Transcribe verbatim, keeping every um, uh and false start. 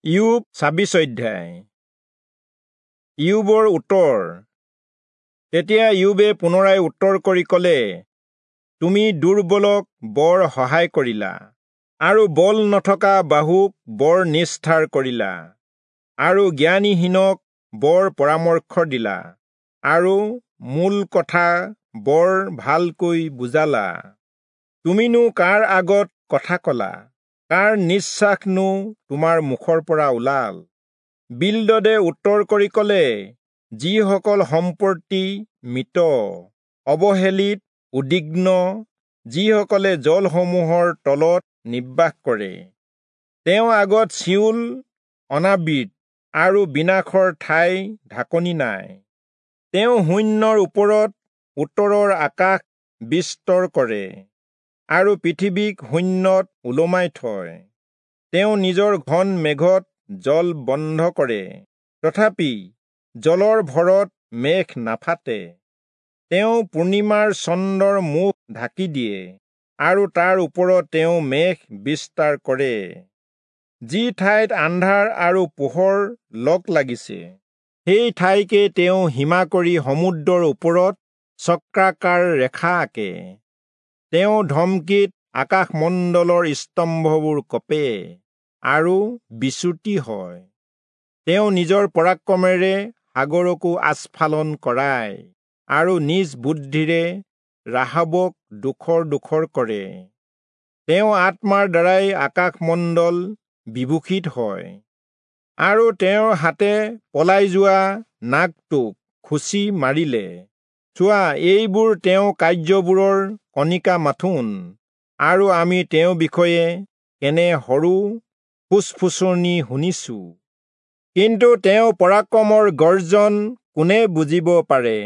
ইয়োব ছাব্বিশ অধ্যায়। ইয়োবৰ উত্তৰ। তেতিয়া ইয়োবে পুনৰাই উত্তৰ কৰি কলে, তুমি দুৰ্বলক বৰ সহায় কৰিলা, আৰু বল নথকা বাহুক বৰ নিষ্ঠাৰ কৰিলা, আৰু জ্ঞানীহীনক বৰ পৰামৰ্শ দিলা, আৰু মূল কথা বৰ ভালকৈ বুজালা। তুমিনো কাৰ আগত কথা কলা? কাৰ নিশ্বাসনো তোমাৰ মুখৰ পৰা ওলাল? বিলদদে উত্তৰ কৰি কলে, যিসকল সম্প্ৰতি মৃত, অৱহেলিত, উদ্বিগ্ন, যিসকলে জলসমূহৰ তলত নিবাস কৰে, তেওঁ আগত চিয়োল অনাবৃত আৰু বিনাশৰ ঠাই ঢাকনি নাই। তেওঁ শূন্যৰ ওপৰত উত্তৰৰ আকাশ বিস্তৰ কৰে আৰু পৃথিৱীক শূন্যত ওলমাই থয়। তেওঁ নিজৰ ঘন মেঘত জল বন্ধ কৰে, তথাপি জলৰ ভৰত মেঘ নাফাটে। তেওঁ পূৰ্ণিমাৰ চন্দ্ৰৰ মুখ ঢাকি দিয়ে আৰু তাৰ ওপৰত তেওঁ মেঘ বিস্তাৰ কৰে। যি ঠাইত আন্ধাৰ আৰু পোহৰ লগ লাগিছে, সেই ঠাইকে তেওঁ সীমা কৰি সমুদ্ৰৰ ওপৰত চক্ৰাকাৰ ৰেখা আঁকে। তেওঁ ধমকিত আকাশমণ্ডলৰ স্তম্ভবোৰ কঁপে আৰু বিচ্যুতি হয়। তেওঁ নিজৰ পৰাক্ৰমেৰে সাগৰকো আস্ফালন কৰায় আৰু নিজ বুদ্ধিৰে ৰাহাবক ডোখৰ ডোখৰ কৰে। তেওঁ আত্মাৰ দ্বাৰাই আকাশমণ্ডল বিভূষিত হয় আৰু তেওঁৰ হাতে পলাই যোৱা নাগটোক খুচি মাৰিলে। চোৱা, এইবোৰ তেওঁ কাৰ্যবোৰৰ কণিকা মাথোন, আৰু আমি তেওঁৰ বিষয়ে কেনে সৰু ফুচফুচনি শুনিছো। কিন্তু তেওঁ পৰাক্ৰমৰ গৰ্জন কোনে বুজিব পাৰে?